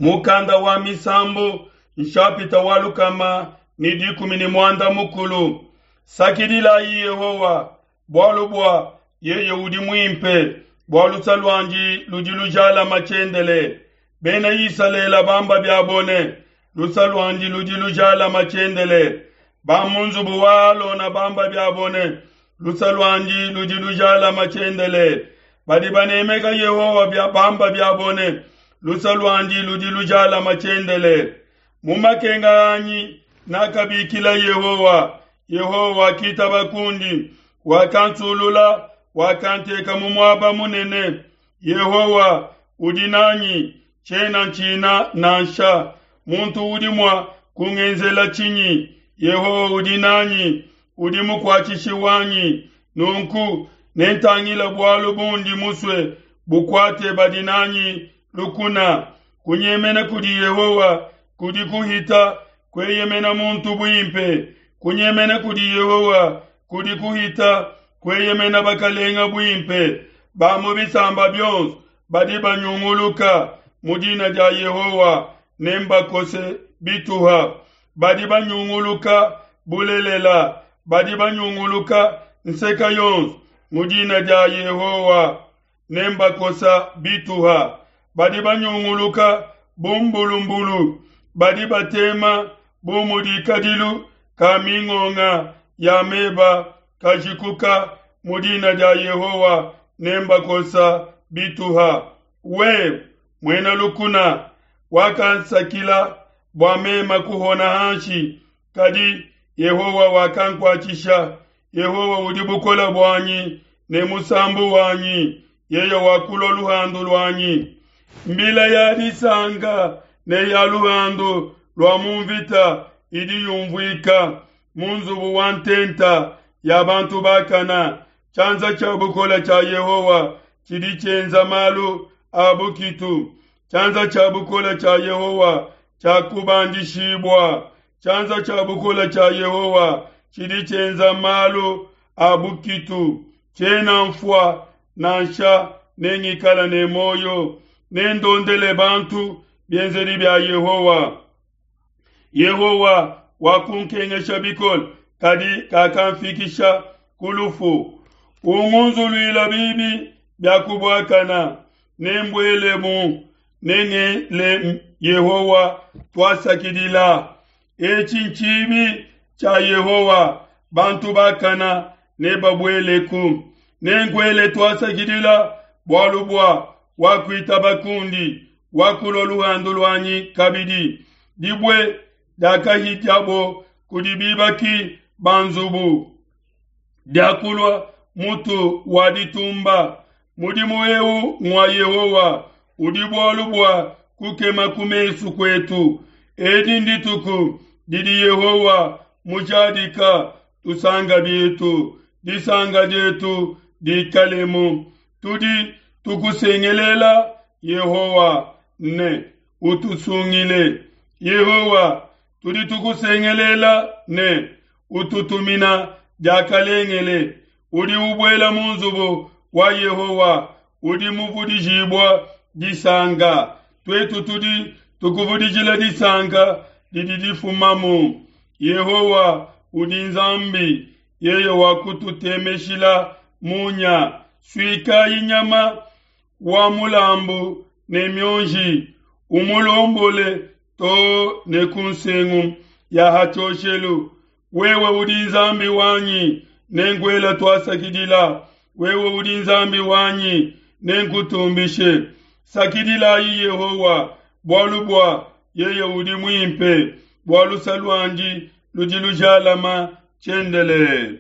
Mukanda wa Misambu, nshapita wa 118. Sakidilayi Yehowa, bualu bua yeye udi muimpe, bua luse luandi ludi lujalama tshiendelele. Bena Isalele bamba biabo ne, Luse luandi ludi lujalama tshiendelele. Ba mu nzubu wa Alona bamba biabo ne, Luse luandi ludi lujalama tshiendelele. Badi banemeka Yehowa bamba biabo ne, Luse luandi ludi lujalama tshiendelele. Mu makenga anyi nakabikila Yehowa, Yehowa wakitaba kundi, wakansulula, wakanteka mu muaba munene. Yehowa udi nanyi, tshiena ntshina nansha. Muntu udi mua kungenzela tshinyi? Yehowa udi nanyi, udi mukuatshishi wanyi. Nunku nentangile bualu bundi musue bukuate badi nanyi lukuna. Kunyemena kudi Yehowa kudi kuhita kueyemena muntu buimpe. Kunyemena kudi Yehowa kudi kuhita kueyemena bakalenga buimpe. Ba mu bisamba bionso badi banyunguluka mu dina dia Yehowa nembakose bituha. Badi banyunguluka bulelela, badi banyunguluka nseka yonso mu dina dia Yehowa nembakosa bituha. Badi banyunguluka bu mbulumbulu, badi batema bu mudi kadilu ka mingonga ya meba kajikuka mu dina dia Yehowa nembakosa bituha. Wewe, muena lukuna, wakansakila bua mema kuhona hanshi, kadi Yehowa wakankuatshisha. Yehowa udi bukole buanyi ne musambu wanyi, yeye wakulua luhandu luanyi. Mbila ya disanka ne ya luhandu lua mu mvita idi yumvuika mu nzubu wa ntenta ya bantu bakana. Tshianza tshia bukole tshia Yehowa tshidi tshienza malu a bukitu. Tshianza tshia bukole tshia Yehowa tshiakubandishibua. Tshianza tshia bukole tshia Yehowa tshidi tshienza malu a bukitu. Tshiena mfua nansha, nengikala ne muoyo, nendondele bantu bienzedi bia Yehowa. Yehowa wakunkengesha bikole, kadi kakamfikisha ku lufu. Ungunzuluila bibi bia kubuakana, nembuelemu, nengele Yehowa tuasakidila. Etshi ntshibi tshia Yehowa, bantu bakana nebabueleku. Nenkuele tuasakidila bualu bua wakuitaba kundi, wakulua luhandu luanyi kabidi. Dibue diakahidiabo kudi bibaki ba nzubu diakulua mutu wa ditumba. Mudimu eu ngua Yehowa, udi bualu bua kukema ku mesu kuetu. Edi ndituku didi Yehowa mujadika, tusanka bietu, disanka dietu dikalemu. Tudi tukusengelela Yehowa ne, utusungile. Yehowa, tudi tukusengelela ne, ututumina diakalengele. Udi ubuela mu nzubu wa Yehowa udi muvudijibua disanka. Tuetu tudi tukuvudijila disanka didi difumamu. Yehowa udi Nzambi, yeye wakututemeshila munya. Suikayi nyama wa mulambu ne mionji, umulombole too ne ku nsengu ya ha tshioshelu. Wewe udi Nzambi wanyi, nenkuela tuasakidila. Wewe udi Nzambi wanyi, nenkutumbishe. Sakidilayi Yehowa, bualu bua yeye udi muimpe, bua luse luandi ludi lujalama tshiendelele.